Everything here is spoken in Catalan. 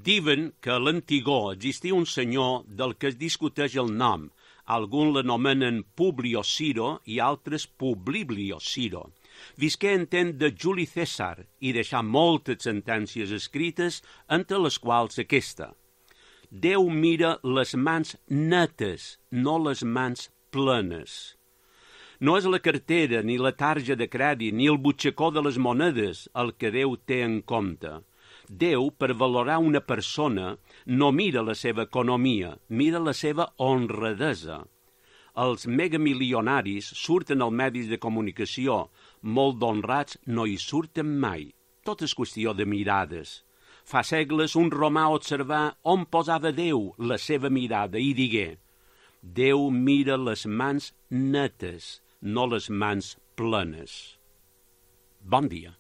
Diuen que a l'antigor existia un senyor del que es discuteix el nom. Alguns l'anomenen Publio Ciro i altres Publiblio Ciro. Visqué en temps de Juli Cèsar i deixà moltes sentències escrites, entre les quals aquesta. Déu mira les mans netes, no les mans plenes. No és la cartera, ni la tarja de crèdit, ni el butxacó de les monedes el que Déu té en compte. Déu, per valorar una persona, no mira la seva economia, mira la seva honradesa. Els megamilionaris surten als medis de comunicació, molt d'honrats no hi surten mai. Tot és qüestió de mirades. Fa segles un romà observà on posava Déu la seva mirada i digué: Déu mira les mans netes, no les mans plenes. Bon dia.